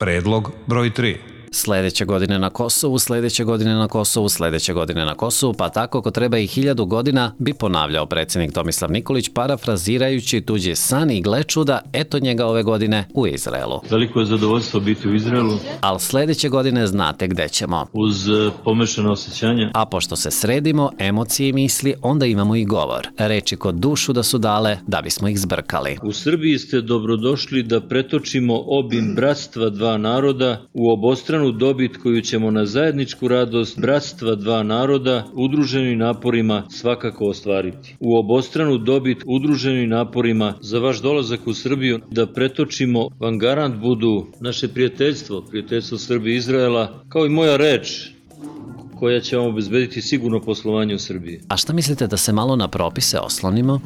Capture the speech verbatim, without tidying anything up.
Predlog broj tri. Sledeće godine na Kosovu, sledeće godine na Kosovu, sledeće godine na Kosovu, pa tako ako treba i hiljadu godina, bi ponavljao predsjednik Tomislav Nikolić, parafrazirajući tuđi san i gle čuda, eto njega ove godine u Izraelu. Veliko je zadovoljstvo biti u Izraelu. Ali sledeće godine znate gde ćemo. Uz pomešano osjećanja. A pošto se sredimo, emocije i misli, onda imamo i govor. Reči kod dušu da su dale, da bismo ih zbrkali. U Srbiji ste dobrodošli da pretočimo obim bratstva dva naroda u obostranu dobit koju ćemo na zajedničku radost bratstva dva naroda udruženim naporima svakako ostvariti. U obostranu dobit udruženim naporima za vaš dolazak u Srbiju da pretočimo vam garant budu naše prijateljstvo, prijateljstvo Srbije i Izraela, kao i moja reč koja će vam obezbediti sigurno poslovanje u Srbiji. A šta mislite da se malo na propise oslonimo?